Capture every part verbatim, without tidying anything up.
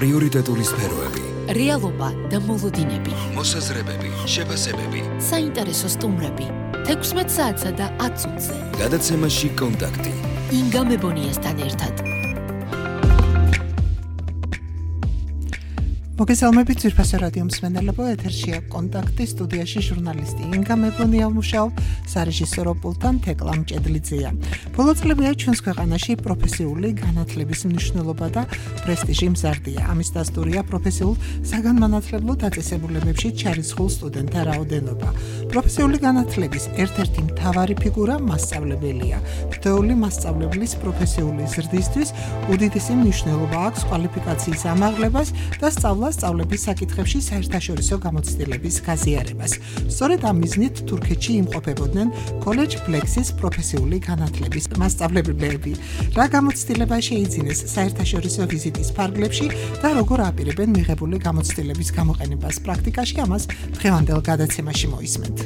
პრიორიტეტული სფეროები, რეალობა და მოლოდინები, მოსაზრებები, შეფასებები, საინტერესო სტუმრები, თექვსმეტ საათსა და ათ წუთზე. გადაცემაში კონტაქტი. ინგა მებონიასთან ერთად. მოგესალმებით ძვირფასო რადიო მსმენელებო, ეთერშია კონტაქტი, სტუდიაში ჟურნალისტი ინგა მებონია მუშაობ, სარეჟისორო პულტთან თეკლა მჭედლიძეა. ბოლო წლებია ჩვენს ქვეყანაში პროფესიული განათლების მნიშვნელობა და პრესტიჟი მზარდია. ამის დასტურია პროფესიულ საგანმანათლებლო დაწესებულებებში ჩარიცხულ სტუდენტთა რაოდენობა. პროფესიული განათლების ერთ-ერთი მთავარი ფიგურა მასწავლებელია. თითოეული მასწავლებლის პროფესიული ზრდისთვის უდიდესი მნიშვნელობა აქვს კვალიფიკაციის ამაღლებას და სწავლა სწავლების საკითხებში საერთაშორისო გამოცდილების გაზიარებას. სწორედ ამ მიზნით თურქეთში იმყოფებოდნენ კოლეჯ ფლექსის პროფესიული განათლების მასწავლებლები. რა გამოცდილება შეიძინეს საერთაშორისო ვიზიტის ფარგლებში და როგორ აპირებენ მიღებული გამოცდილების გამოყენებას პრაქტიკაში, ამას დღევანდელ გადაცემაში მოისმენთ.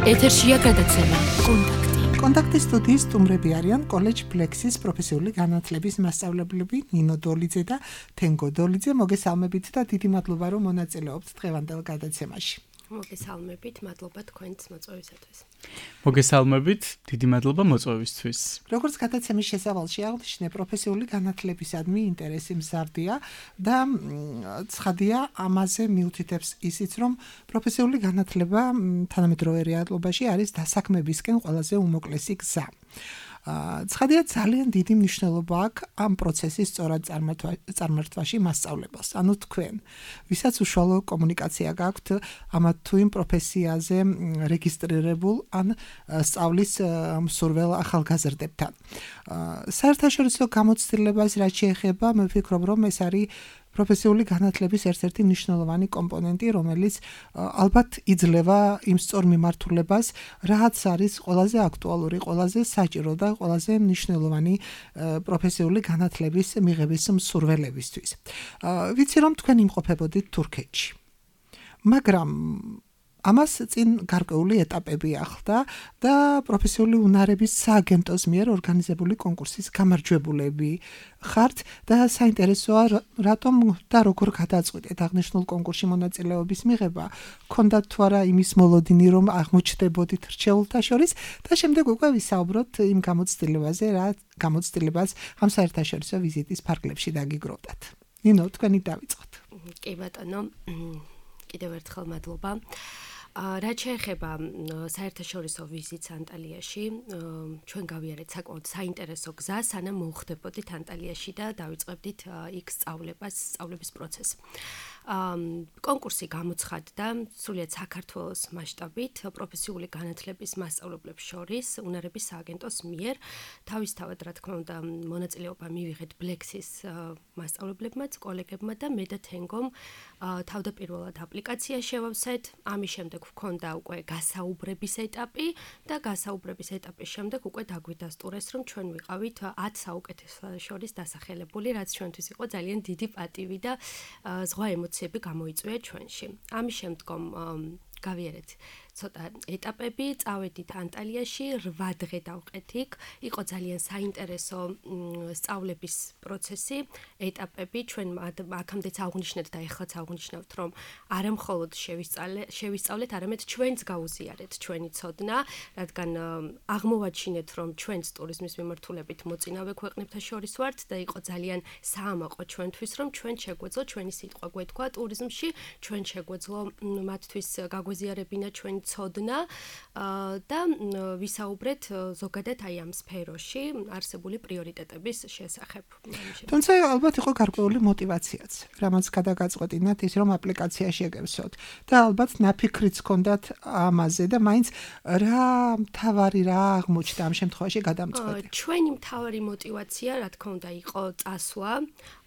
ეთერშია გადაცემა კონტაქტი. კონტაქტის სტუდიის სტუმრები არიან კოლეჯ ფლექსის პროფესიული განათლების მასწავლებლები ნინო დოლიძე და თენგო დოლიძე. მოგესალმებით და დიდი მადლობა რომ მონაწილეობთ დღევანდელ გადაცემაში. მოგესალმებით, მადლობა თქვენს მოწვევისათვის. მოგესალმებით, დიდი მადლობა მოწვევისთვის. როგორც გადაცემის შესავალში აღნიშნე, პროფესიული განათლებისადმი ინტერესი მზარდია და ცხადია ამაზე მიუთითებს ისიც, რომ პროფესიული განათლება თანამედროვე რეალობაში არის დასაქმებისკენ ყველაზე უმოკლესი გზა. ცხადია ძალიან დიდი მნიშვნელობა აქვს ამ პროცესის სწორად წარმართვაში მასწავლებელს. ანუ თქვენ, ვისაც უშუალო კომუნიკაცია გაქვთ ამათ თუ იმ პროფესიაზე რეგისტრირებულ ან სწავლის მსურվել ახალგაზრდებთან. საერთაშორისო გამოცდილებას რაც შეეხება, მე ვფიქრობ, რომ ეს არის პროფესიული განათლების ერთ-ერთი მნიშვნელოვანი კომპონენტი, რომელიც ალბათ იძლევა იმ სწორ მიმართულებას, რაც არის ყველაზე აქტუალური, ყველაზე საჭირო და ყველაზე მნიშვნელოვანი პროფესიული განათლების მიღების მსურველებისთვის. ვიცი რომ თქვენ იმყოფებოდით თურქეთში. მაგრამ ამას წინ გარკვეული ეტაპები ახლდა და პროფესიული უნარების სააგენტოს მიერ ორგანიზებული კონკურსის გამარჯვებულები ხართ და საინტერესოა რატომ და როგორ გადაწყვეტეთ აღნიშნულ კონკურსში მონაწილეობის მიღება, გქონდათ თუ არა იმის მოლოდინი რომ აღმოჩნდებოდით რჩეულთა შორის და შემდეგ უკვე ვისაუბროთ იმ გამოცდილებაზე, რა გამოცდილებას ამ საერთაშორისო ვიზიტის ფარგლებში დაგიგროვდათ. ნინო, თქვენი დავიწყოთ. კი ბატონო, კიდევ ერთხელ მადლობა. რაც შეეხება საერთაშორისო ვიზიტს ანტალიაში, ჩვენ გავიარეთ საკმაოდ საინტერესო გზა, სანამ მოვხდებოდით ანტალიაში და დავიწყებდით იქ სწავლებას, სწავლების პროცესს. კონკურსი გამოცხადდა სრულიად საქართველოს მასშტაბით პროფესიული განათლების მასწავლებლებს შორის უნარების სააგენტოს მიერ. თავისთავად, რა თქმა უნდა, მონაწილეობა მივიღეთ ბლექსის მასწავლებლებმაც, კოლეგებმა და მე და თენგომ თავდაპირველად აპლიკაცია შევავსეთ. ამის შემდეგ ვქონდა უკვე გასაუბრების ეტაპი და გასაუბრების ეტაპის შემდეგ უკვე დაგვიდასტურეს, რომ ჩვენ ვიყავით ათ საუკეთესო შორის დასახელებული, რაც ჩვენთვის იყო ძალიან დიდი პატივი და ზღვა ემოციები გამოიწვია ჩვენში. ამის შემდგომ გავიარეთ ცოტა ეტაპები, წავედით ანტალიაში, რვა დღე დავყეთ იქ. იყო ძალიან საინტერესო სწავლების პროცესი, ეტაპები, ჩვენ აქამდეც აღვნიშნეთ და ეხლაც აღვნიშნავთ, რომ არა მხოლოდ შევისწავლეთ, არამედ ჩვენც გაუზიარეთ ჩვენი ცოდნა, რადგან აღმოვაჩინეთ, რომ ჩვენც ტურიზმის მიმართულებით მოწინავე ქვეყნებთან შორის ვართ და იყო ძალიან საამაყო ჩვენთვის, რომ ჩვენ შეგვეძლო ჩვენი სიტყვა გვეთქვა ტურიზმში, ჩვენ შეგვეძლო მათთვის გაგვეზიარებინა ჩვენი ცოდნა და ვისაუბრეთ ზოგადად აი ამ სფეროში არსებული პრიორიტეტების შესახებ. თუმცა ალბათ იყო გარკვეული მოტივაციაც, რამაც გადაგაწყვეტინათ ის, რომ აპლიკაცია შეგევსოთ და ალბათ ნაფიქრიც ჰქონდათ ამაზე და მაინც რა მთავარი რა აღმოჩნდა ამ შემთხვევაში გადამწყვეტი. ჩვენი მთავარი მოტივაცია, რა თქმა უნდა, იყო წასვლა,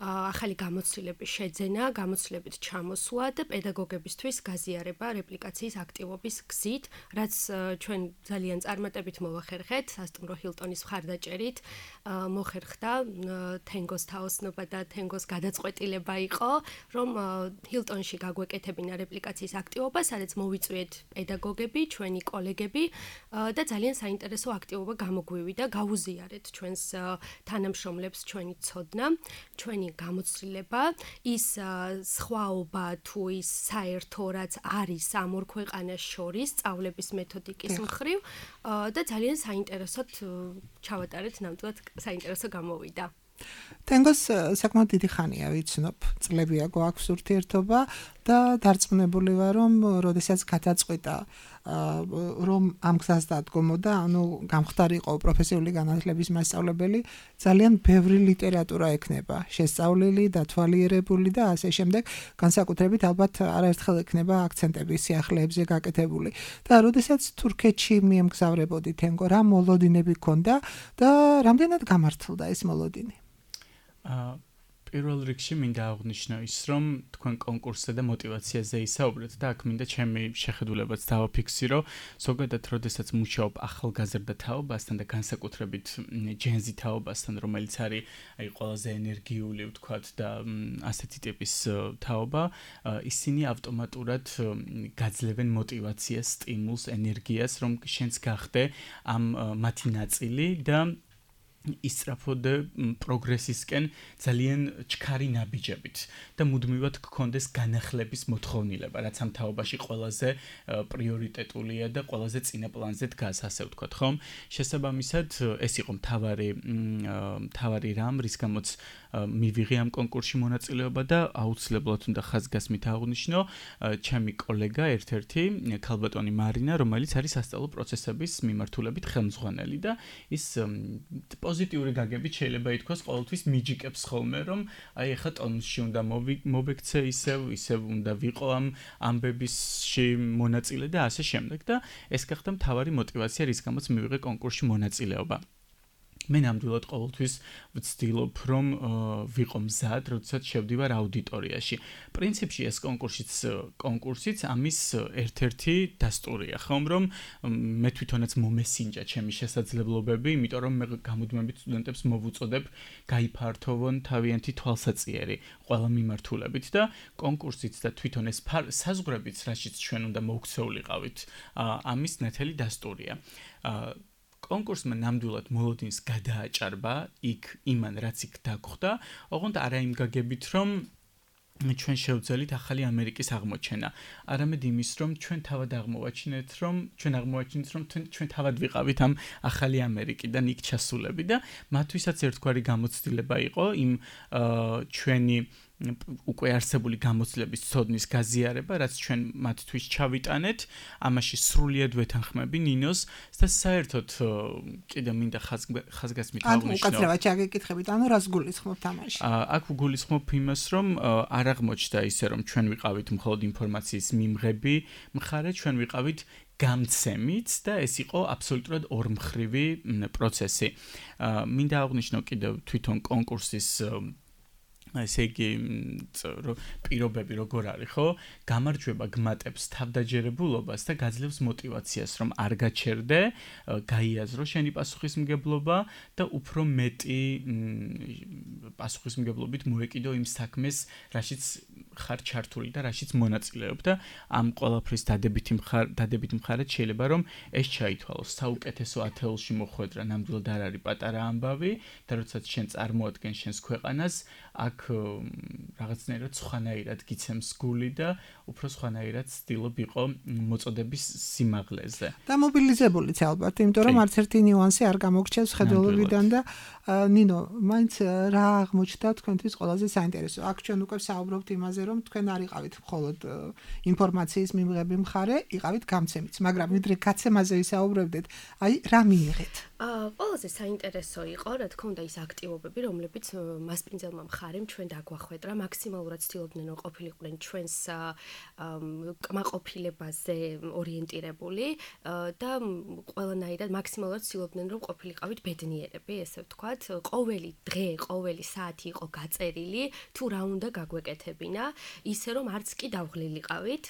ახალი გამოცდილების შეძენა, გამოცდილებით ჩამოსვლა და პედაგოგებისთვის გაზიარება რეპლიკაციის აქტივობის გზით, რაც ჩვენ ძალიან წარმატებით მოვახერხეთ, სასტუმრო ჰილტონის მხარდაჭერით, მოხერხდა თენგოს თაოსნობა და თენგოს გადაწყვეტილება იყო, რომ ჰილტონში გაგვეკეთებინა რეპლიკაციის აქტივობა, სადაც მოვიწვიეთ პედაგოგები, ჩვენი კოლეგები და ძალიან საინტერესო აქტივობა გამოგვივიდა, გავუზიარეთ ჩვენს თანამშრომლებს ჩვენი ცოდნა, ჩვენი გამოცდილება, ის სხვაობა თუ ის საერთო რაც არის ამ ორ ქვეყანას შორის სწავლების მეთოდიკის მხრივ და ძალიან საინტერესოდ ჩავატარეთ, ნამდვილად საინტერესო გამოვიდა. თენგოს საკმაოდ დიდი ხანია ვიცნობ, წლებია გვაქვს ურთიერთობა და დარწმუნებული ვარ, რომ როდესაც გადაწყვიტა რომ ამ გზას დადგომოდა, ანუ გამხდარიყო პროფესიული განათლების მასწავლებელი, ძალიან ბევრი ლიტერატურა ექნება შესწავლილი, დათვალიერებული და ასე შემდეგ, განსაკუთრებით ალბათ არაერთხელ ექნება აქცენტები სიახლეებზე გაკეთებული. და როდესაც თურქეთში მიემგზავრებოდი თენგო, რა მოლოდინები ჰქონდა და რამდენად გამართლდა ეს მოლოდინი? პირველ რიგში მინდა აღვნიშნო ის, რომ თქვენ კონკურსზე და мотиваციაზე ისაუბრეთ და აქ მინდა ჩემი შეხედულებაც დავაფიქსირო, ზოგადად როდესაც მუშაობ ახალგაზრდა თაობასთან და განსაკუთრებით ჯენზი თაობასთან, რომელიც არის აი ყველაზე ენერგიული, ვთქვათ და ასეთი ტიპის თაობა, ისინი ავტომატურად გაძლევენ мотиваციას, სტიმულს, ენერგიას, რომ შენც გახდე ამ მათი ნაწილი და ისწრაფოდე პროგრესისკენ ძალიან ჩქარი ნაბიჯებით და მუდმივად გქონდეს განახლების მოთხოვნილება, რაც ამ თაობაში ყველაზე პრიორიტეტულია და ყველაზე წინა პლანზე დგას, ასე ვთქვათ, ხომ? შესაბამისად, ეს იყო მთავარი მთავარი რამ, რის გამოც მივიღე ამ კონკურსში მონაწილეობა და აუცილებლად უნდა ხაზგასმით აღვნიშნო ჩემი კოლეგა ერთ-ერთი ქალბატონი მარინა, რომელიც არის სასწავლო პროცესების მიმართულებით ხელმძღვანელი და ის პოზიტიური გაგებით შეიძლება ითქვას ყოველთვის მიჯიკებს ხოლმე, რომ აი ახლა ტონუსში უნდა მოვექცე ისევ, ისევ უნდა ვიყო ამ ამბებისში მონაწილე და ასე შემდეგ და ეს გახდა მთავარი мотиваცია, რის გამოც მივიღე კონკურსში მონაწილეობა. მე ნამდვილად ყოველთვის ვცდილობ, რომ ვიყო მზად, როდესაც შევდივარ აუდიტორიაში. პრინციპში ეს კონკურსიც კონკურსიც ამის ერთ-ერთი დასტურია, ხომ, რომ მე თვითონაც მომესინჯა ჩემი შესაძლებლობები, იმიტომ რომ მე გამუდმებით სტუდენტებს მოვუწოდებ გაიფართოვონ თავიანთი თვალსაჩინო ყველა მიმართულებით და კონკურსიც და თვითონ ეს საზღვრებიც, რაშიც ჩვენ უნდა მოუქცეულიყავით, ამის ნათელი დასტურია. კონკურსმა ნამდვილად მოლოდინს გადააჭარბა იქ იმან რაც იქ დაგხვდა, ოღონდ არა იმ გაგებით, რომ ჩვენ შევძელით ახალი ამერიკის აღმოჩენა. არამედ იმის, რომ ჩვენ თავად აღმოვაჩინეთ, რომ ჩვენ აღმოვაჩინეთ, რომ ჩვენ თავად ვიყავით ამ ახალი ამერიკიდან იქ ჩასულები და მათთვისაც ერთგვარი გამოცდილება იყო იმ ჩვენი უკვე არსებული გამოცდილების ცოდნის გაზიარება, რაც ჩვენ მათთვის ჩავიტანეთ, ამაში სრულიად ვეთანხმები ნინოს და საერთოდ კიდე მინდა ხაზგასმით აღვნიშნო. ანუ უკაცრავად ჩაგეკითხებით, ანუ რას გულისხმობთ ამაში? აქ ვგულისხმობ იმას, რომ არ აღმოჩნდა ისე, რომ ჩვენ ვიყავით მხოლოდ ინფორმაციის მიმღები მხარე, ჩვენ ვიყავით გამცემით და ეს იყო აბსოლუტურად ორმხრივი პროცესი. მინდა აღვნიშნო კიდევ თვითონ კონკურსის ესე იგი პირობები როგორ არის, ხო? გამარჯვება გმატებს თავდაჯერებულობას და გაძლევს мотиваციას, რომ არ გაჩერდე, გაიაზრო შენი პასუხისმგებლობა და უფრო მეტი პასუხისმგებლობით მოეკიდო იმ საქმეს, რაშიც ხარ ჩართული და რაშიც მონაწილეობ და ამ ყველაფრის დადებითი მხარე, დადებითი მხარე შეიძლება რომ ეს ჩაითვალოს. საუკეთესო ათეულში მოხვედრა ნამდვილად არ არის პატარა ამბავი და როდესაც შენ წარმოადგენს შენს ქვეყანას, აქ რაღაცნაირად სხვანაირად გიცემს გული და უფრო სხვანაირად ცდილობ იყო მოწოდების სიმაღლეზე. და მობილიზებულიც ალბათ, იმიტომ რომ არც ერთი ნიუანსი არ გამოგრჩევს ხედველობიდან და ნინო, მაინც რა აღმოჩნდა თქვენთვის ყველაზე საინტერესო? აქ ჩვენ უკვე საუბრობთ იმაზე, რომ თქვენ არ იყავით მხოლოდ ინფორმაციის მიმღები მხარე, იყავით გამცემიც, მაგრამ ვიდრე გაცემაზე ვისაუბრებდეთ, აი რა მიიღეთ? აა, ყველაზე საინტერესო იყო, რა თქმა უნდა, ის აქტივობები, რომლებიც მასპინძელმა მხარემ ჩვენ დაგვახვედრა, მაქსიმალურად ცდილობდნენ რომ ყოფილიყვნენ ჩვენს კმაყოფილებაზე ორიენტირებული და ყველანაირად მაქსიმალურად ცდილობდნენ რომ ყოფილიყავით ბედნიერები, ესე ვთქვათ. ყოველი დღე, ყოველი საათი იყო გაწერილი, თუ რა უნდა გაგვეკეთებინა, ისე რომ არც კი დავღლილიყავით.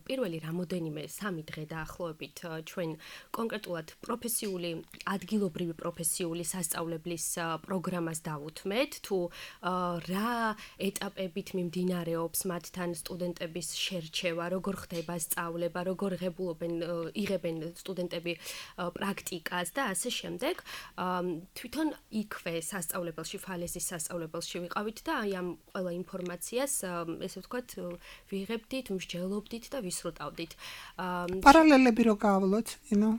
პირველი რამოდენიმე სამი დღე დაახლოებით ჩვენ კონკრეტულად პროფესიული, ადგილობრივი პროფესიული სასწავლებლის პროგრამას დავუთმეთ, თუ რა ეტაპებით მიმდინარეობს მათთან სტუდენტების შერჩევა, როგორ ხდება სწავლება, როგორ ღებულობენ, იღებენ სტუდენტები პრაქტიკას და ასე შემდეგ. თვითონ იქვე სასწავლებელში, ფალესის სასწავლებელში ვიყავით და აი ამ ყველა ინფორმაციას, ესე ვთქვათ, ვიღებდით, მსჯელობდით და ვისრუტავდით. პარალელები რო გავავლოთ, ინო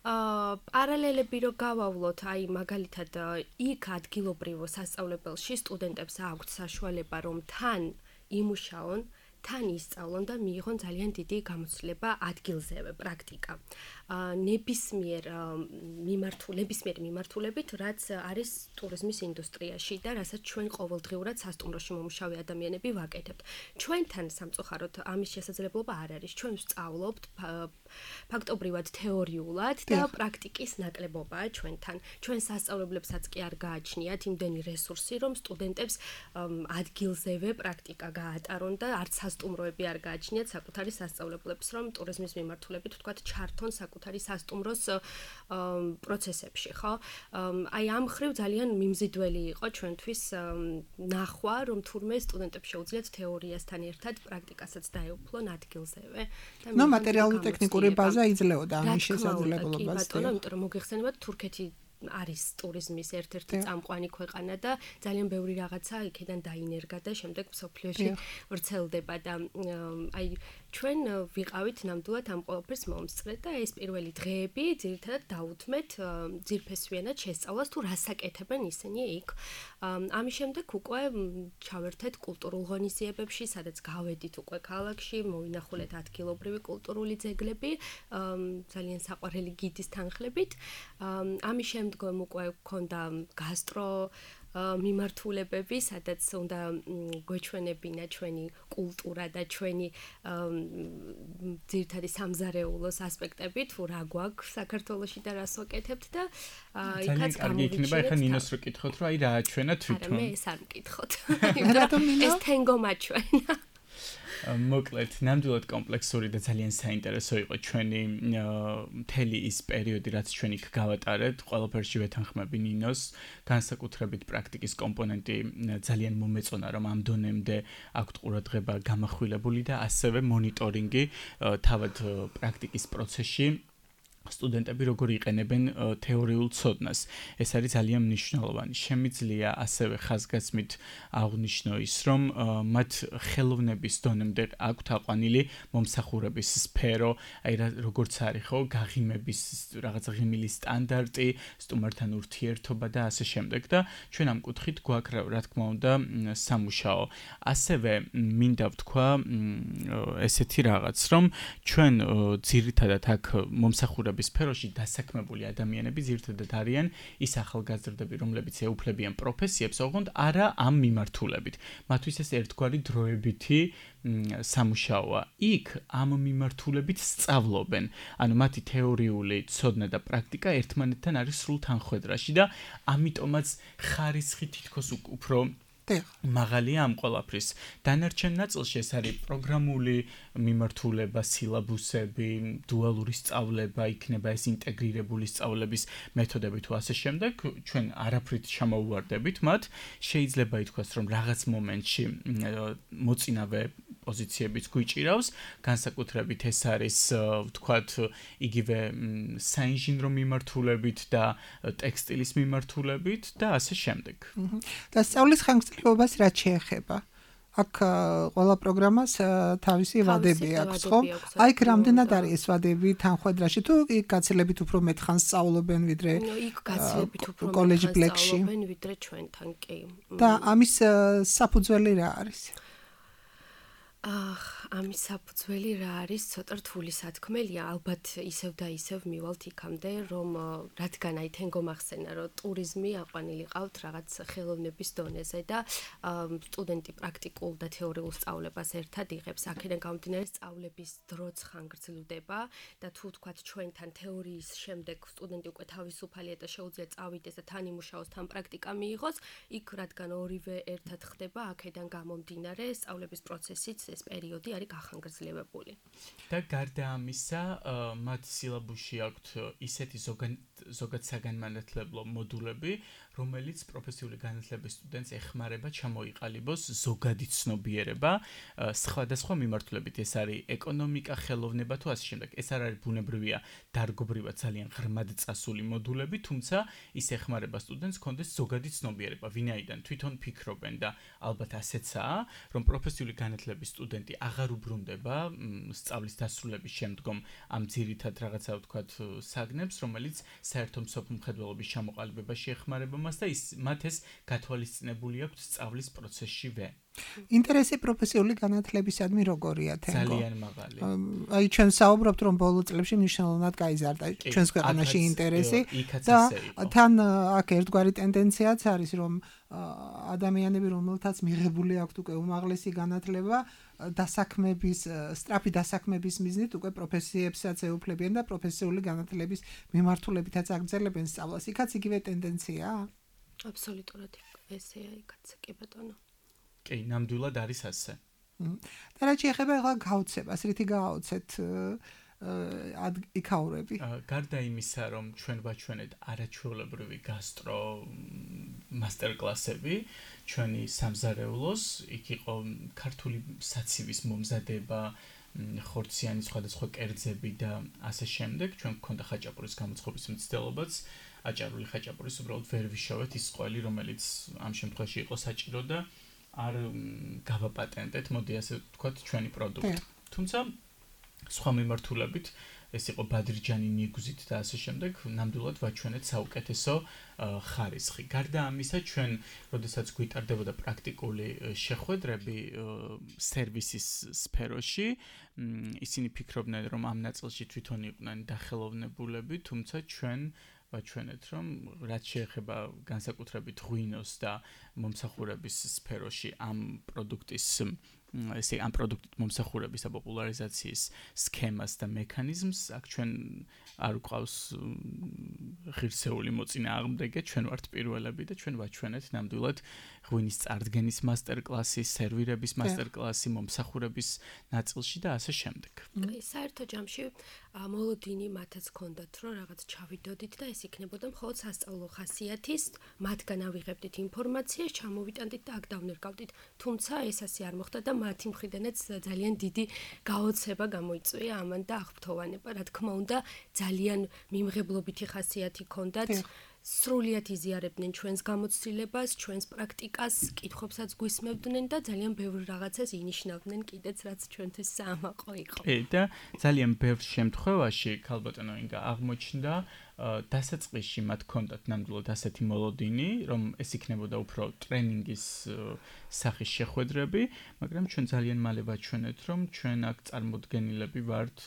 აა პარალელები რო გავავლოთ, აი მაგალითად იქ ადგილობრივ სასწავლებელში სტუდენტებს აქვთ საშუალება რომ თან იმუშაონ, თან ისწავლონ და მიიღონ ძალიან დიდი გამოცდილება ადგილზევე, პრაქტიკა. ნებისმიერ მიმართულებისმიერ მიმართულებით, რაც არის ტურიზმის ინდუსტრიაში და რასაც ჩვენ ყოველდღიურად სასტუმროში მომუშავე ადამიანები ვაკეთებთ. ჩვენთან სამწუხაროდ ამის შესაძლებლობა არ არის. ჩვენ ვსწავლობთ ფაქტობრივად თეორიულად და პრაქტიკის ნაკლებობაა ჩვენთან. ჩვენ სასწავლებლებსაც კი არ გააჩნიათ იმდენი რესურსი, რომ სტუდენტებს ადგილზევე პრაქტიკა გაატარონ და არც სასტუმროები არ გააჩნიათ საკუთარი სასწავლებლებს, რომ ტურიზმის მიმართულებით ვთქვათ ჩართონ საკუთარი სასტუმროს პროცესებში, ხო? აი ამ ხრივ ძალიან მიმზიდველი იყო ჩვენთვის ნახვა, რომ თურმე სტუდენტებს შეუძლიათ თეორიასთან ერთად პრაქტიკასაც დაეუფლონ ადგილზევე. ნუ მატერიალური ტექნიკური ბაზა იძლეოდა ამის შესაძლებლობას. კი ბატონო, იმიტომ რომ მოგეხსენებათ თურქეთი არის ტურიზმის ერთ-ერთი წამყვანი ქვეყანა და ძალიან ბევრი რაღაცა იქიდან დაინერგა და შემდეგ მსოფლიოში ვრცელდება და აი ჩვენ ვიყავით ნამდვილად ამ ყველაფერს მომსწრე და ეს პირველი დღეები ძირითადად დაუთმეთ ძირფესვიანად შესწავლას თუ რას აკეთებენ ისინი იქ. ამის შემდეგ უკვე ჩავერთეთ კულტურულ ღონისძიებებში, სადაც გავედით უკვე ქალაქში, მოვინახულეთ ადგილობრივი კულტურული ძეგლები, ძალიან საყვარელი გიდის თანხლებით. ამის შემდგომ უკვე გქონდა გასტრო მიმართულებები, სადაც უნდა გვეჩვენებინა ჩვენი კულტურა და ჩვენი ძირითადი სამზარეულოს ასპექტები, თუ რა გვაქვს საქართველოში და რას ვაკეთებთ და იქაც გამოვიჩინეთ. ახლა ნინოს რო კითხოთ, რომ აი რა აჩვენა თვითონ. მე ეს არ მკითხოთ. ეს თენგო მაჩვენა. მოკლედ, ნამდვილად კომპლექსური და ძალიან საინტერესო იყო ჩვენი მთელი ის პერიოდი, რაც ჩვენ იქ გავატარეთ. ყველაფერში ვეთანხმები ნინოს, განსაკუთრებით პრაქტიკის კომპონენტი ძალიან მომეწონა, რომ ამ დონემდე აქვთ ყურადღება გამახვილებული და ასევე მონიტორინგი თავად პრაქტიკის პროცესში. სტუდენტები როგორ იყენებენ თეორიულ ცოდნას. ეს არის ძალიან მნიშვნელოვანი. შემიძლია ასევე ხაზგასმით აღვნიშნო ის, რომ მათ ხელოვნების დონემდე აქვთ აყვანილი მომსახურების სფერო, აი როგორც არის ხო, გაღიმების რაღაც ღიმილი სტანდარტი, სტუმართან ურთიერთობა და ასე შემდეგ და ჩვენ ამ კუთხით გვაქვს რა თქმა უნდა სამუშაო. ასევე მინდა ვთქვა ესეთი რაღაც, რომ ჩვენ ძირითადად აქ მომსახურების სფეროში დასაქმებული ადამიანები ძირითადად არიან ის ახალგაზრდები, რომლებიც ეუფლებიან პროფესიებს, ოღონდ არა ამ მიმართულებით. მათთვის ეს ერთგვარი დროებითი სამუშაოა. იქ ამ მიმართულებით სწავლობენ. ანუ მათი თეორიული ცოდნა და პრაქტიკა ერთმანეთთან არის სრულ თანხვედრაში და ამიტომაც ხარისხი თითქოს უფრო მაღალია ამ ყველაფრის. დანარჩენ ნაწილში ეს არის პროგრამული მიმართულება, სილაბუსები, დუალური სწავლება, იქნება ეს ინტეგრირებული სწავლების მეთოდები თუ ასე შემდეგ. ჩვენ არაფრით ჩამოუვარდებით მათ. შეიძლება ითქვას, რომ რაღაც მომენტში მოწინავე პოზიციებიც გვიჭირავს, განსაკუთრებით ეს არის, ვთქვათ, იგივე საინჟინრო მიმართულებით და ტექსტილის მიმართულებით და ასე შემდეგ. და სწავლის ხანგრძლივობას რაც შეეხება. აქ ყველა პროგრამას თავისი ვადები აქვს, ხო? აი, რამდენად არის ეს ვადები თანხვედრაში თუ იქ გაცილებით უფრო მეტ ხანს სწავლობენ ვიდრე იქ გაცილებით უფრო მეტ კოლეჯ ხანს ბლეკში სწავლობენ ვიდრე ჩვენთან, კი. და ამის საფუძველი რა არის? ამის საფუძველი რა არის, ცოტა რთული სათქმელია, ალბათ ისევ და ისევ მივალთ იქამდე, რომ რადგან აი თენ გომახსენა, რომ ტურიზმი აყვანილი ყავთ რაღაც ხელოვნების დონეზე და სტუდენტი პრაქტიკულ და თეორიულ სწავლებას ერთად იღებს, აქედან გამომდინარე სწავლების დროც ხანგრძლივდება და თუ თქვათ ჩვენთან თეორიის შემდეგ სტუდენტი უკვე თავისუფალია და შეუძლია წავიდეს და თან იმუშაოს, თან პრაქტიკა მიიღოს, იქ რადგან ორივე ერთად ხდება, აქედან გამომდინარე სწავლების პროცესიც ეს პერიოდი არის გახანგრძლივებული. და გარდა ამისა, მათ სილაბუსში აქვთ ისეთი ზოგად საგანმანათლებლო მოდულები, რომელიც პროფესიული განათლების სტუდენტს ეხმარება ჩამოიყალიბოს ზოგადი ცნობიერება, სხვადასხვა მიმართულებით, ეს არის ეკონომიკა, ხელოვნება თუ ასე შემდეგ. ეს არ არის ბუნებრივია, დარგობრივად ძალიან ღრმად წასული მოდულები, თუმცა ის ეხმარება სტუდენტს კონდეს ზოგადი ცნობიერება, ვინაიდან თვითონ ფიქრობენ და ალბათ ასეცაა, რომ პროფესიული განათლების სტუდენტი აღარ უბრუნდება სწავლის დასრულების შემდგომ ამ ძირითად რაღაცა ვთქვათ საგნებს, რომელიც საერთო მსოფლმხედველობის ჩამოყალიბებაში ეხმარება მას და ის მათ ეს გათვალისწინებული აქვთ სწავლის პროცესშივე. ინტერესი პროფესიული განათლებისადმი როგორია თენგო? ძალიან მაღალი. აი ჩვენ საუბრობთ რომ ბოლო წლებში მნიშვნელოვნად გაიზარდა ჩვენს ქვეყანაში ინტერესი და თან აქ ერთგვარი ტენდენციაც არის რომ ადამიანები რომელთაც მიღებული აქვთ უკვე უმაღლესი განათლება დასაქმების სწრაფი დასაქმების მიზნით უკვე პროფესიებსაც ეუფლებიან და პროფესიული განათლების მიმართულებითაც აგრძელებენ სწავლას. იქაც იგივე ტენდენციაა? აბსოლუტურად ესეა იქაც კი ბატონო. კი, ნამდვილად არის ასე. და რაც შეეხება ახლა გაოცებას, რითი გაოცეთ იქაურები? გარდა იმისა, რომ ჩვენ ვაჩვენეთ არაჩვეულებრივი გასტრო მასტერკლასები, ჩვენი სამზარეულოს, იქ იყო ქართული საცივის მომზადება, ხორციანი სხვადასხვა კერძები და ასე შემდეგ, ჩვენ გქონდა ხაჭაპურის გამოცხობის მცდელობაც, აჭარული ხაჭაპურის უბრალოდ ვერ ვიშოვეთ ის ყველი, რომელიც ამ შემთხვევაში იყო საჭირო და არ გავაპატენტეთ, მოდი ასე ვთქვათ, ჩვენი პროდუქტი. თუმცა სხვა მიმართულებით, ეს იყო ბადრიჯანი ნიგუზით და ასე შემდეგ, ნამდვილად ვაჩვენეთ საუკეთესო ხარისხი. გარდა ამისა, ჩვენ, როდესაც გვიტარდებოდა პრაქტიკული შეხვედრები სერვისის სფეროში, ისინი ფიქრობდნენ, რომ ამ ნაწილში თვითონ იყვნენ დახელოვნებულები, თუმცა ჩვენ ვაჩვენეთ, რომ რაც შეეხება განსაკუთრებით ღვინოს და მომსახურების სფეროში ამ პროდუქტის ესე ამ პროდუქტის მომსახურების და პოპულარიზაციის სქემას და მექანიზმს, აქ ჩვენ არ გვყავს ღირსეული მოწინააღმდეგე, ჩვენ ვართ პირველები და ჩვენ ვაჩვენეთ ნამდვილად ღვინის წარდგენის მასტერკლასი, სერვირების მასტერკლასი, მომსახურების ნაწილში და ასე შემდეგ. კი, საერთო ჯამში მოლოდინი მათაც ჰქონდათ, რომ რაღაც ჩავიდოდით და ეს იქნებოდა მხოლოდ სასწავლო ხასიათის, მათგან ავიღებდით ინფორმაციას, ჩამოვიტანდით და აქ დავნერგავდით. თუმცა ეს ასე არ მოხდა და მათი მხრიდანაც ძალიან დიდი გაოცება გამოიწვია ამან და აღფრთოვანება. რა თქმა უნდა, ძალიან მიმღებლობითი ხასიათი ჰქონდათ. სრულიად იზიარებდნენ ჩვენს გამოცდილებას, ჩვენს პრაქტიკას, კითხვებსაც გვისმევდნენ და ძალიან ბევრ რაღაცას ინიშნავდნენ კიდეც, რაც ჩვენთვის საამაყო იყო. კი, და ძალიან ბევრ შემთხვევაში, ქალბატონო ინგა, აღმოჩნდა დასაწყისში მათ ჰქონდათ ნამდვილად ასეთი მოლოდინი, რომ ეს იქნებოდა უფრო ტრენინგის სახის შეხვედრები, მაგრამ ჩვენ ძალიან მალე ვაჩვენეთ, რომ ჩვენ აქ წარმოდგენილები ვართ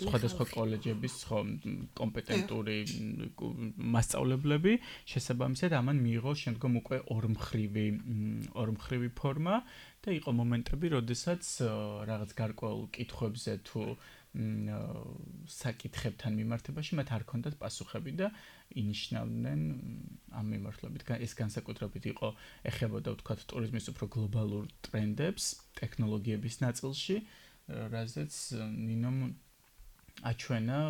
სხვადასხვა კოლეჯების კომპეტენტური მასწავლებლები, შესაბამისად ამან მიიღო შემდგომ უკვე ორმხრივი ორმხრივი ფორმა და იყო მომენტები, როდესაც რაღაც გარკვეულ კითხვებზე თუ საკითხებთან მიმართებაში მათ არ ჰქონდათ პასუხები და ინიშნავდნენ ამ მიმართულებით. ეს განსაკუთრებით იყო ეხებოდა ვთქვათ ტურიზმის უფრო გლობალურ ტრენდებს, ტექნოლოგიების ნაწილში, რაზეც ნინომ აჩვენა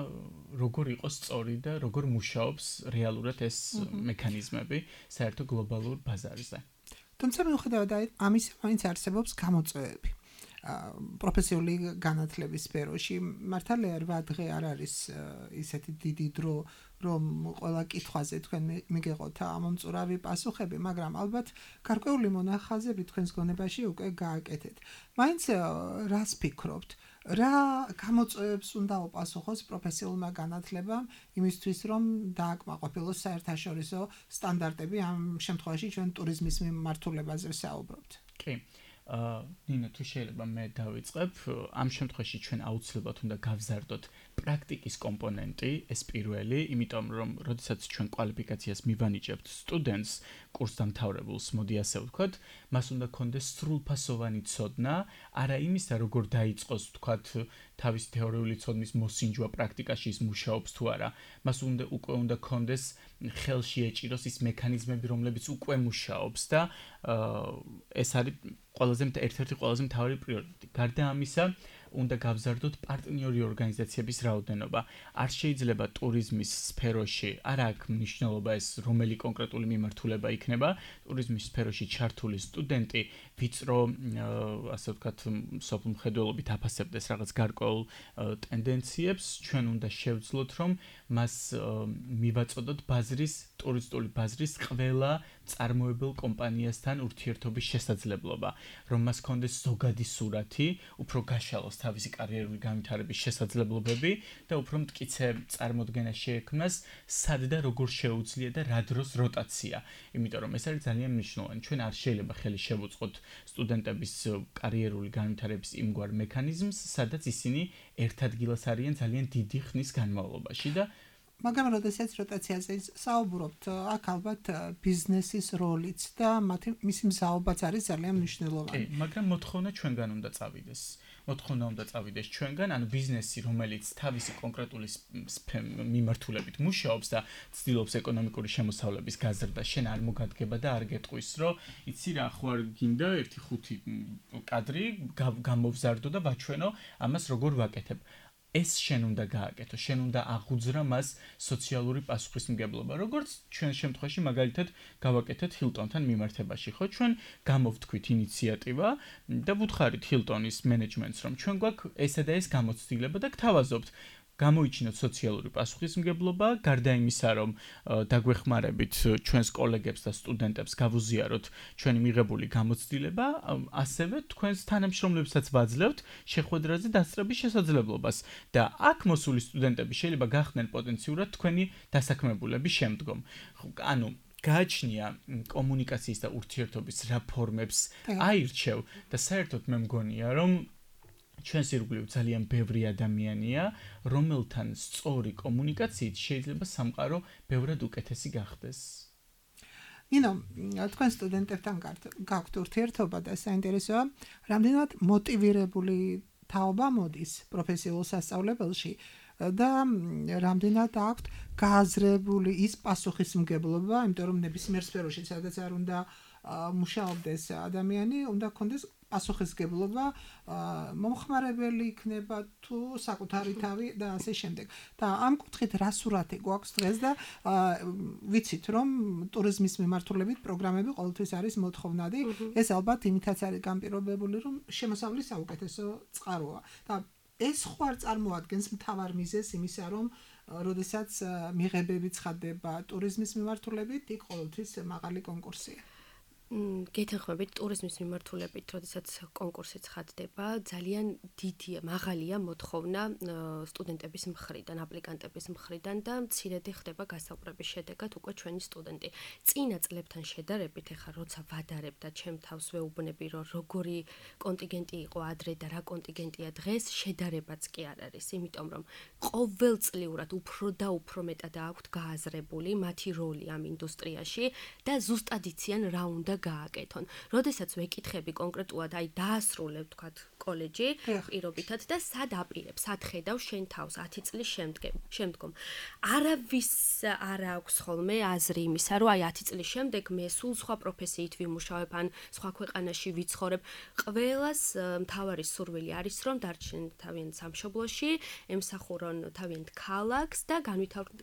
როგორ იყო სწორი და როგორ მუშაობს რეალურად ეს მექანიზმები საერთო გლობალურ ბაზარზე. თუმცა მიუხედავად ამისა, მაინც არსებობს გამოწვევები. პროფესიული განათლების სფეროში მართალია რვა დღე არ არის ისეთი დიდი დრო, რომ ყველა კითხვაზე თქვენ მიგეღოთ ამომწურავი პასუხები, მაგრამ ალბათ გარკვეული მონახაზები თქვენს გონებაში უკვე გააკეთეთ. მაინც რას ფიქრობთ? რა გამოწვევებს უნდა უპასუხოს პროფესიულმა განათლებამ იმისთვის, რომ დააკმაყოფილოს საერთაშორისო სტანდარტები, ამ შემთხვევაში ჩვენ ტურიზმის მიმართულებაზე ვსაუბრობთ. კი. ნინო თუ შეიძლება მე დავიწყებ ამ შემთხვევაში ჩვენ აუცილებლად უნდა გავზარდოთ პრაქტიკის კომპონენტი ეს პირველი იმიტომ რომ როდესაც ჩვენ კვალიფიკაციას მივანიჭებთ სტუდენტს კურსდამთავრებულს მოდი ასე ვთქვათ მას უნდა კონდეს სრულფასოვანი ცოდნა არა იმისა როგორ დაიწყოს ვთქვათ თავის თეორიული ცოდნის მოსინჯვა პრაქტიკაში ის მუშაობს თუ არა მას უნდა უკვე უნდა კონდეს ხელში ეჭიროს ის მექანიზმები რომლებიც უკვე მუშაობს და ეს არის ყველაზე ერთ-ერთი ყველაზე მთავარი პრიორიტეტი. გარდა ამისა, უნდა გავზარდოთ პარტნიორი ორგანიზაციების რაოდენობა. არ შეიძლება ტურიზმის სფეროში, არა აქვს მნიშვნელობა ეს რომელი კონკრეტული მიმართულება იქნება, ტურიზმის სფეროში ჩართული სტუდენტი ვიწრო, ასე ვთქვათ, სოფლ მხედველობით აფასებდეს რაღაც გარკვეულ ტენდენციებს, ჩვენ უნდა შევძლოთ, რომ მას მივაწოდოთ ბაზრის, ტურისტული ბაზრის ყველა წარმოებელ კომპანიასთან ურთიერთობის შესაძლებლობა, რომ მას კონდეს ზოგადი სურათი, უფრო გაშალოს თავისი კარიერული განვითარების შესაძლებლობები და უფრო მტკიცე წარმოდგენა შეექმნას, სად და როგორ შეუძლია და რა დროს როტაცია. იმიტომ რომ ეს არის ძალიან მნიშვნელოვანი. ჩვენ არ შეიძლება ხელი შევუწყოთ სტუდენტების კარიერული განვითარების იმგვარ მექანიზმს, სადაც ისინი ერთ ადგილას არიან ძალიან დიდი ხნის განმავლობაში და მაგრამ როდესაც როტაციაზე საუბრობთ, აქ ალბათ ბიზნესის როლიც და მათი მისი მზაობაც არის ძალიან მნიშვნელოვანი. მაგრამ მოთხოვნა ჩვენგან უნდა წავიდეს. მოთხოვნა უნდა წავიდეს ჩვენგან, ანუ ბიზნესი, რომელიც თავისი კონკრეტული მიმართულებით მუშაობს და ცდილობს ეკონომიკური შემოსავლების გაზრდა, შენ არ მოგადგება და არ გეტყვის, რომ იცი რა, ხო არ გინდა ერთი ხუთი კადრი გამოვზარდო და ვაჩვენო ამას როგორ ვაკეთებ. ეს შენ უნდა გააკეთო, შენ უნდა აღუძრა მას სოციალური პასუხისმგებლობა. როგორც ჩვენ შემთხვევაში მაგალითად გავაკეთეთ ჰილტონთან მიმართებაში, ხო? ჩვენ გამოვთქვით ინიციატივა და ვუთხარით ჰილტონის მენეჯმენტს, რომ ჩვენ გვაქვს ესა და ეს გამოცდილება და გთავაზობთ გამოიჩინოთ სოციალური პასუხისმგებლობა, გარდა იმისა, რომ დაგვეხმარებით ჩვენს კოლეგებს და სტუდენტებს გავუზიაროთ ჩვენი მიღებული გამოცდილება, ასევე თქვენს თანამშრომლებსაც ვაძლევთ შეხვედრაზე დასწრების შესაძლებლობას და აქ მოსული სტუდენტები შეიძლება გახდნენ პოტენციურად თქვენი დასაქმებულები შემდგომ. ანუ გააჩნია კომუნიკაციის და ურთიერთობის რა ფორმებს აირჩევ და საერთოდ მე მგონია, რომ ჩვენს ირგვლივ ძალიან ბევრი ადამიანია, რომელთან სწორი კომუნიკაციით შეიძლება სამყარო ბევრად უკეთესი გახდეს. ნინო, თქვენ სტუდენტებთან გაქვთ ურთიერთობა და საინტერესოა, რამდენად მოტივირებული თაობა მოდის პროფესიულ სასწავლებელში და რამდენად აქვთ გააზრებული ის პასუხისმგებლობა, იმიტომ რომ ნებისმიერ სფეროში, სადაც არ უნდა მუშაობდეს ადამიანი, უნდა ქონდეს პასუხისმგებლობა, მომხმარებელი იქნება თუ საკუთარი თავი და ასე შემდეგ. და ამ კუთხით რა სურათი გვაქვს დღეს და ვიცით რომ ტურიზმის მიმართულებით პროგრამები ყოველთვის არის მოთხოვნადი. ეს ალბათ იმითაც არის განპირობებული, რომ შემოსავლის საუკეთესო წყაროა. და ეს ხო არ წარმოადგენს მთავარ მიზეზს იმისა, რომ როდესაც მიღებები ცხადდება ტურიზმის მიმართულებით, იქ ყოველთვის მაღალი კონკურსია. გეთანხმებით ტურიზმის მიმართულებით, როდესაც კონკურსი ცხადდება, ძალიან დიდია, მაღალია მოთხოვნა სტუდენტების მხრიდან, აპლიკანტების მხრიდან და მცირედი ხდება გასაუბრების შედეგად უკვე ჩვენი სტუდენტი. წინა წლებთან შედარებით, ეხლა როცა ვადარებ და ჩემ თავს ვეუბნები, რომ როგორი კონტინგენტი იყო ადრე და რა კონტინგენტია დღეს, შედარებაც კი არ არის, იმიტომ რომ ყოველწლიურად უფრო და უფრო მეტად აქვთ გააზრებული მათი როლი ამ ინდუსტრიაში და ზუსტად იციან რა უნდა გააკეთონ. როდესაც ვეკითხები კონკრეტულად, აი დაასრულებ თქვათ კოლეჯი პირობითად და სად აპირებ, სად ხედავ შენ თავს ათი წლის შემდგომ. შემდგომ არავის არ აქვს ხოლმე აზრი იმისა, რომ აი ათი წლის შემდეგ მე სულ სხვა პროფესიით ვიმუშავებ, ან სხვა ქვეყანაში ვიცხოვრებ. ყველას მთავარი სურვილი არის, რომ დარჩნენ თავიანთ სამშობლოში, ემსახურონ თავიანთ ქალაქს და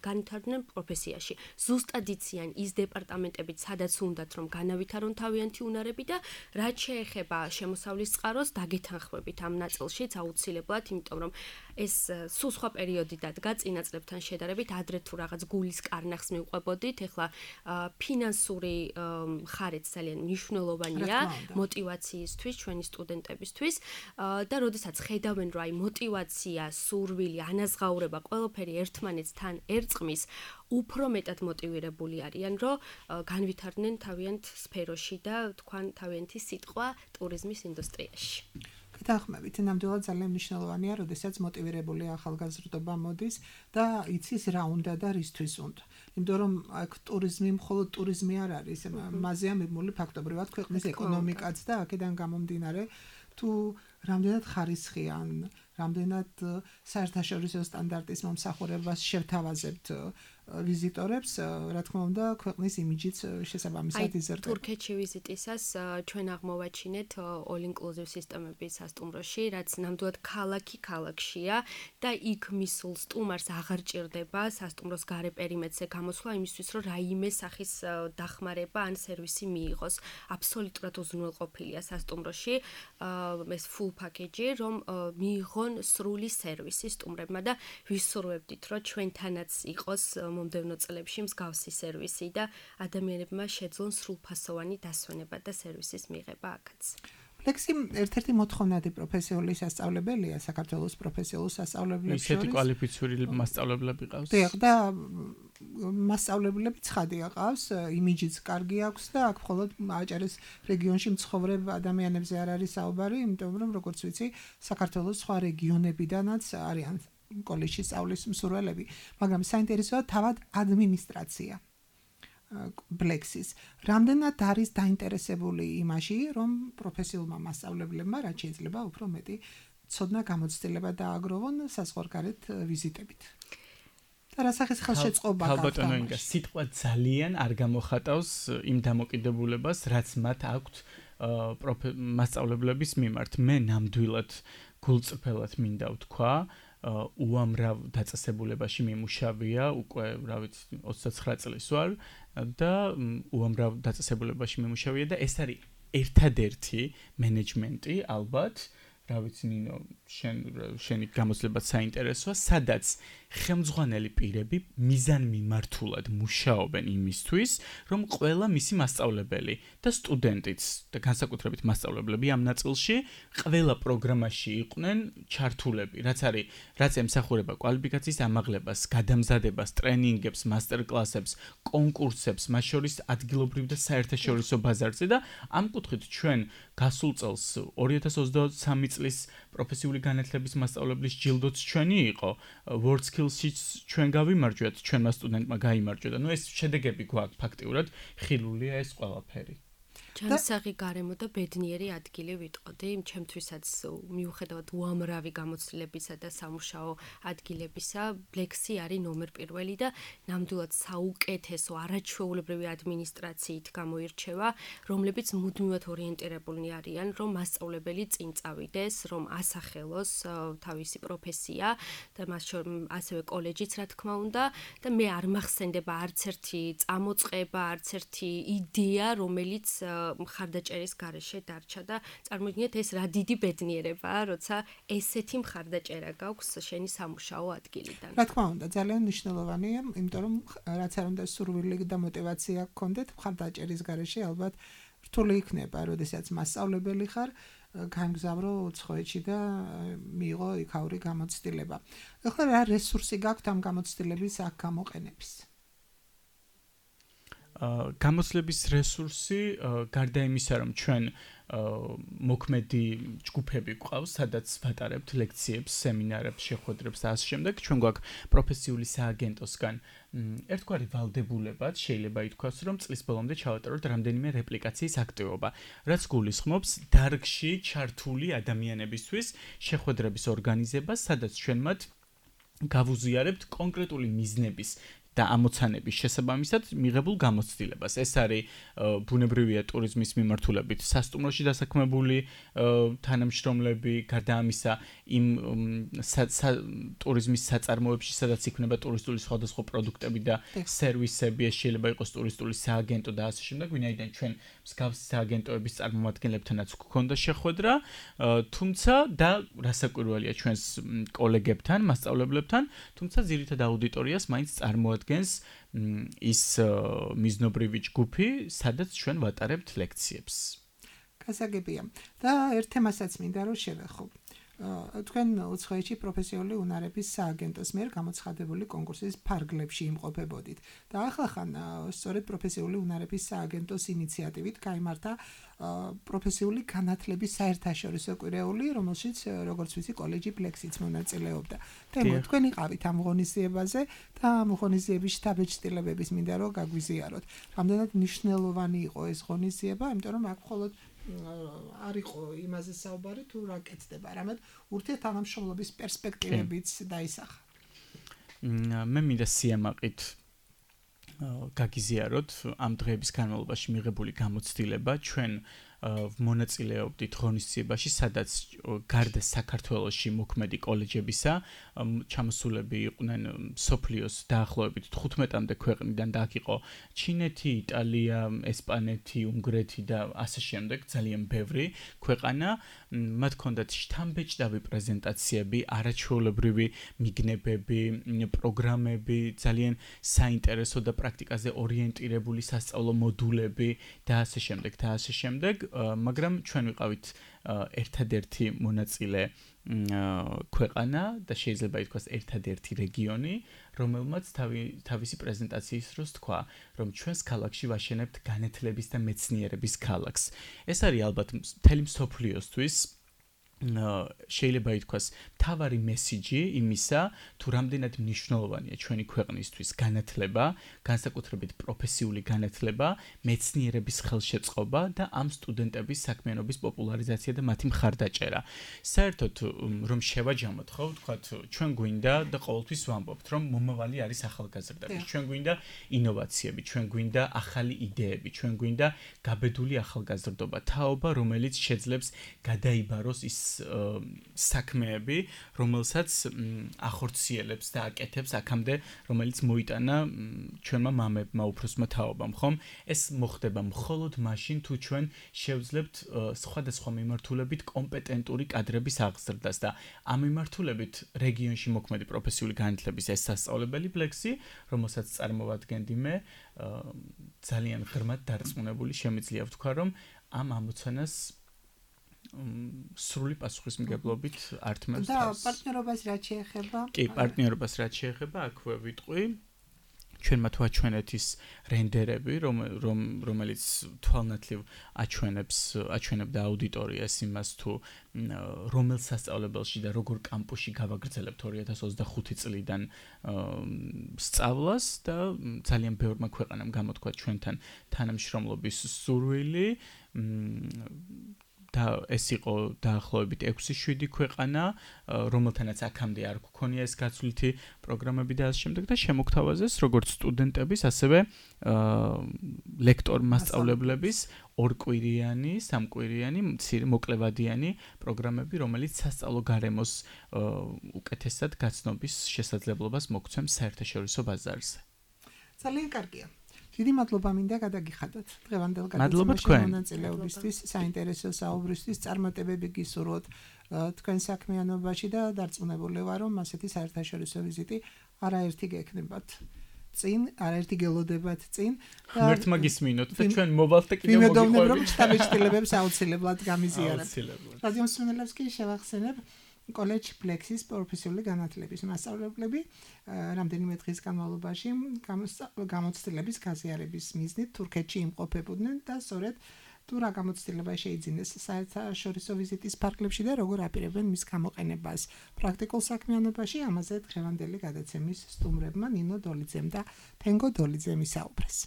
განვითარდნენ პროფესიაში. ზუსტად იციან ის დეპარტამენტები, სადაც უნდათ რომ განავითარონ თავიანთი უნარები და რაც შეეხება შემოსავლის წყაროს, დაგეთანხმებით დაახმებით ამ ნაწილშიც აუცილებლად, იმიტომ რომ ეს სულ სხვა პერიოდი დადგა წინა წლებთან შედარებით, ადრე თუ რაღაც გულის კარნახს მივყვებოდით, ეხლა ფინანსური მხარეც ძალიან მნიშვნელოვანია მოტივაციისთვის, ჩვენი სტუდენტებისთვის და როდესაც ხედავენ, რომ აი მოტივაცია, სურვილი, ანაზღაურება, ყველაფერი ერთმანეთთან ერწყმის, უფრო მეტად მოტივირებული არიან, რომ განვითარდნენ თავიანთ სფეროში და თქვან თავიანთი სიტყვა ტურიზმის ინდუსტრიაში. გითახმებით, ნამდვილად ძალიან მნიშვნელოვანია, როდესაც მოტივირებული ახალგაზრდობა მოდის და იცის რა უნდა და რისთვის უნდა. იმიტომ რომ აქ ტურიზმი მხოლოდ ტურიზმი არ არის, მასზეა მიბმული ფაქტობრივად ქვეყნის ეკონომიკაც და აქედან გამომდინარე თუ რამდენად ხარისხიან, რამდენად საერთაშორისო სტანდარტის მომსახურებას შევთავაზებთ ვიზიტორებს, რა თქმა უნდა, ქვეყნის იმიჯიც შესაბამისად იზრდება. თურქეთში ვიზიტისას ჩვენ აღმოვაჩინეთ all inclusive სისტემების სასტუმროში, რაც ნამდვილად ქალაქი ქალაქშია და იქ მისულ სტუმარს აღარ ჭირდება სასტუმროს გარე პერიმეტრზე გამოსვლა იმისთვის, რომ რაიმე სახის დახმარება ან სერვისი მიიღოს. აბსოლუტურად უზრუნველყოფილია სასტუმროში ეს full package, რომ მიიღონ სრული სერვისი სტუმრებმა და ვისურვებდით, რომ ჩვენთანაც იყოს მომდევნო წლებში მსგავსი სერვისი და ადამიანებმა შეძლონ სრულფასოვანი დასვენება და სერვისის მიღება აქაც. ლექსი ერთ-ერთი მოთხოვნადი პროფესიული სასწავლებელია საქართველოს პროფესიულ სასწავლებლებს შორის. ისეთი კვალიფიციური მასწავლებლები ყავს. დიახ, და მასწავლებლები ცხადი აყავს, იმიჯიც კარგი აქვს და აქ მხოლოდ აჭარის რეგიონში მცხოვრებ ადამიანებზე არ არის საუბარი, იმიტომ რომ როგორც ვიცი, საქართველოს სხვა რეგიონებიდანაც არიან კოლეჯში სწავლის მსურველები, მაგრამ საინტერესოა თავად ადმინისტრაცია ბლექსის. რამდენად არის დაინტერესებული იმაში, რომ პროფესიულმა მასწავლებლებმა რაც შეიძლება უფრო მეტი ცოდნა გამოცდილება დააგროვონ საზღვარგარეთ ვიზიტებით. და რა სახის ხელშეწყობა გაქვთ? ალბათო ინგა, სიტყვა ძალიან არ გამოხატავს იმ დამოკიდებულებას, რაც მათ აქვთ მასწავლებლების მიმართ. მე ნამდვილად გულწრფელად მინდა ვთქვა, უამრავ დაწესებულებაში მიმუშავია, უკვე, რა ვიცი, ოცდათცხრა წლის ვარ და უამრავ დაწესებულებაში მიმუშავია და ეს არის ერთადერთი მენეჯმენტი, ალბათ, რა ვიცი, ნინო, შენ შენი გამოცდილებაც საინტერესოა, სადაც ხელმძღვანელი პირები მიზანმიმართულად მუშაობენ იმისთვის, რომ ყველა მისი მასწავლებელი და სტუდენტიც და განსაკუთრებით მასწავლებლები ამ ნაწილში ყველა პროგრამაში იყვნენ ჩართულები, რაც არის, რაც ემსახურება კვალიფიკაციის ამაღლებას, გადამზადებას, ტრენინგებს, მასტერკლასებს, კონკურსებს, მათ შორის ადგილობრივ და საერთაშორისო ბაზარზე და ამ კუთხით ჩვენ გასულ წელს ორი ათას ოცდაოთხ წლის პროფესიული განათლების მასწავლებლის ჯილდოც ჩვენი იყო, World Skills-იც ჩვენ გავიმარჯვეთ, ჩვენმა სტუდენტმა გაიმარჯვა და ნუ ეს შედეგები გვაქვს ფაქტიურად, ხილულია ეს ყველაფერი. ჯანსაღი გარემო და ბედნიერი ადგილი ვიტყოდი, ჩემთვისაც მიუხედავად უამრავი გამოცდილებისა და სამუშაო ადგილებისა, ბლექსი არის ნომერ პირველი და ნამდვილად საუკეთესო არაჩვეულებრივი ადმინისტრაციით გამოირჩევა, რომლებიც მუდმივად ორიენტირებულნი არიან, რომ მასწავლებელი წინ წავიდეს, რომ ასახელოს თავისი პროფესია და მას შორის ასევე კოლეჯიც რა თქმა უნდა და მე არ მახსენდება არც ერთი წამოწყება, არც ერთი იდეა, რომელიც მხარდაჭერის გარეშე დარჩა და წარმოიდგინეთ ეს რა დიდი ბედნიერებაა, როცა ესეთი მხარდაჭერა გაქვს შენი სამუშაო ადგილიდან. რა თქმა უნდა, ძალიან მნიშვნელოვანია, იმიტომ რომ რაც არ უნდა სურვილი და мотиваცია გქონდეთ მხარდაჭერის გარეშე, ალბათ რთული იქნება, როდესაც მასწავლებელი ხარ, გამგზავრო უცხოეთში და მიიღო იქაური გამოცდილება. ახლა რა რესურსი გაქვთ ამ გამოცდილების აქ გამოყენების? გამოცდილების რესურსი, გარდა იმისა, რომ ჩვენ მოქმედი ჯგუფები გვყავს, სადაც ვატარებთ ლექციებს, სემინარებს, შეხვედრებს და ასე შემდეგ, ჩვენ გვაქვს პროფესიული სააგენტოსგან ერთგვარი ვალდებულებად შეიძლება ითქვას, რომ წლის ბოლომდე ჩავატაროთ რამდენიმე რეპლიკაციის აქტივობა, რაც გულისხმობს დარგში ჩართული ადამიანებისთვის შეხვედრების ორგანიზებას, სადაც ჩვენ მათ გავუზიარებთ კონკრეტული მიზნების და ამოცანების შესაბამისად მიღებულ გამოცდილებას. ეს არის ბუნებრივია ტურიზმის მიმართულებით სასტუმროში დასაქმებული თანამშრომლები, გარდა ამისა იმ ტურიზმის საწარმოებში, სადაც იქნება ტურისტული სხვადასხვა პროდუქტები და სერვისები, ეს შეიძლება იყოს ტურისტული სააგენტო და ასე შემდეგ, ვინაიდან ჩვენ მსგავსი სააგენტოების წარმომადგენლებთანაც გვქონდა შეხვედრა, თუმცა და რასაკვირველია ჩვენს კოლეგებთან, მასწავლებლებთან, თუმცა ძირითად აუდიტორიას მაინც წარმოადგენს ის მიზნობრივი ჯგუფი, სადაც ჩვენ ვატარებთ ლექციებს. გასაგებია. და ერთ თემასაც მინდა რომ შევეხო. თქვენ უცხოეთში პროფესიული უნარების სააგენტოს მიერ გამოცხადებული კონკურსის ფარგლებში იმყოფებოდით და ახლა-ხან სწორედ პროფესიული უნარების სააგენტოს ინიციატივით გაიმართა პროფესიული განათლების საერთაშორისო კვირეული, რომელშიც როგორც ვიცი კოლეჯი ფლექსიც მონაწილეობდა. თემო თქვენ იყავით ამ ღონისძიებაზე და ამ ღონისძიების შთაბეჭდილებების მინდა რომ გაგვიზიაროთ. რამდენად მნიშვნელოვანი იყო ეს ღონისძიება, იმიტომ რომ აქ მხოლოდ არ იყო იმაზე საუბარი თუ რა კეთდება, არამედ ურთიერთთანამშრომლობის პერსპექტივებიც დაისახა. მე მინდა სიამაყით გაგიზიაროთ ამ დღეების განმავლობაში მიღებული გამოცდილება. ჩვენ მონაწილეობდით ღონისძიებაში, სადაც გარდა საქართველოში მოქმედი კოლეჯებისა, ჩამოსულები იყვნენ მსოფლიოს დაახლოებით თხუთმეტამდე ქვეყნიდან და აქ იყო ჩინეთი, იტალია, ესპანეთი, უნგრეთი და ასე შემდეგ, ძალიან ბევრი ქვეყანა. მათ ჰქონდათ შთამბეჭდავი პრეზენტაციები, არაჩვეულებრივი მიგნებები, პროგრამები, ძალიან საინტერესო და პრაქტიკაზე ორიენტირებული სასწავლო მოდულები და ასე შემდეგ და ასე შემდეგ. მაგრამ ჩვენ ვიყავით ერთადერთი მონაწილე ქვეყანა და შეიძლება ითქვას ერთადერთი რეგიონი, რომელმაც თავისი პრეზენტაციის დროს თქვა, რომ ჩვენს ქალაქში ვაშენებთ განათლების და მეცნიერების ქალაქს. ეს არის ალბათ მთელი მსოფლიოსთვის შეიძლება ითქვას მთავარი მესიჯი იმისა, თუ რამდენად მნიშვნელოვანია ჩვენი ქვეყნისთვის განათლება, განსაკუთრებით პროფესიული განათლება, მეცნიერების ხელშეწყობა და ამ სტუდენტების საქმიანობის პოპულარიზაცია და მათი მხარდაჭერა. საერთოდ რომ შევაჯამოთ, ხო, ვთქვათ, ჩვენ გვინდა და ყოველთვის ვამბობთ, რომ მომავალი არის ახალგაზრდები, ჩვენ გვინდა ინოვაციები, ჩვენ გვინდა ახალი იდეები, ჩვენ გვინდა გაბედული ახალგაზრდობა, თაობა, რომელიც შეძლებს გადაიბაროს ის საქმეები, რომელსაც ახორციელებს და აკეთებს აქამდე, რომელიც მოიტანა ჩვენმა მამებმა, უფროსმა თაობამ, ხომ? ეს მოხდება მხოლოდ მაშინ, თუ ჩვენ შევძლებთ სხვადასხვა მიმართულებით კომპეტენტური კადრების აღზრდას და ამ მიმართულებით რეგიონში მოქმედი პროფესიული განათლების ეს სასწავლებელი ფლექსი, რომელსაც წარმოვადგენდი მე, ძალიან ღრმად დარწმუნებული შემიძლია ვთქვა, რომ ამ ამოცანას სრული პასუხისმგებლობით ართმევს და პარტნიორობას რაც შეეხება? კი, პარტნიორობას რაც შეეხება, აქვე ვიტყვი. ჩვენმა თუ აჩვენეთ ის რენდერები, რომელიც თვალნათლივ აჩვენებს, აჩვენებდა აუდიტორიას იმას თუ რომელ სასწავლებელში და როგორ კამპუსში გავაგრძელებთ ორი ათას ოცდახუთი წლიდან სწავლას და ძალიან ბევრმა ქვეყანამ გამოთქვა ჩვენთან თანამშრომლობის სურვილი. და ეს იყო დაახლოებით ექვსი შვიდი ქვეყანა, რომელთანაც აქამდე არ გქონია ეს გაცვლითი პროგრამები და ასე შემდეგ და შემოგთავაზეს როგორც სტუდენტების, ასევე ლექტორ მასწავლებლების ორკვირიანი, სამკვირიანი, მოკლევადიანი პროგრამები, რომელიც სასწავლო გარემოს უკეთესად გაცნობის შესაძლებლობას მოგცემს საერთაშორისო ბაზარზე. ძალიან კარგია. დიდი მადლობა მინდა გადაგიხადოთ დღევანდელ გადაცემაში მონაწილეობისთვის, საინტერესო საუბრისთვის, წარმატებები გისურვოთ თქვენ საქმიანობაში და დარწმუნებული ვარ, რომ ასეთი საერთაშორისო ვიზიტი არაერთი გექნებათ წინ, არაერთი გელოდებათ წინ. ღმერთმა გისმინოთ და ჩვენ მოვალთ და კიდევ მოგიყვებით. ვიმედოვნებ, რომ შთაბეჭდილებებს აუცილებლად გამიზიარებთ. რადიო მსმენელებს კი შევახსენებ კოლეჯ ფლექსის პროფესიული განათლების მასწავლებლები რამდენიმე დღის განმავლობაში გამოცდილების გაზიარების მიზნით თურქეთში იმყოფებოდნენ და სწორედ თუ რა გამოცდილება შეიძინეს საერთაშორისო ვიზიტის ფარგლებში და როგორ აპირებენ მის გამოყენებას პრაქტიკულ საქმიანობაში, ამაზე დღევანდელი გადაცემის სტუმრებმა ნინო დოლიძემ და თენგო დოლიძემ ისაუბრეს.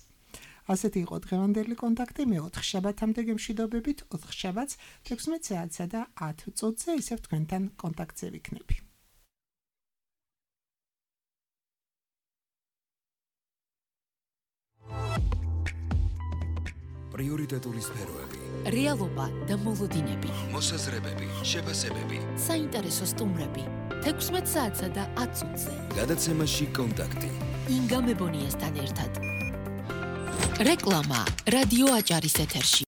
ასეთი იყო დღევანდელი კონტაქტი, მე ოთხ შაბათამდე გემშვიდობებით, ოთხ შაბათს თექვსმეტ საათსა და ათ წუთზე ისევ თქვენთან კონტაქტზე ვიქნები. პრიორიტეტული სფეროები, რეალობა და მოლოდინები, მოსაზრებები, შეფასებები. საინტერესო სტუმრები. თექვსმეტ საათსა და ათ წუთზე. გადაცემაში კონტაქტი. ინგა მებონიასთან ერთად. რეკლამა რადიო აჭარის ეთერში.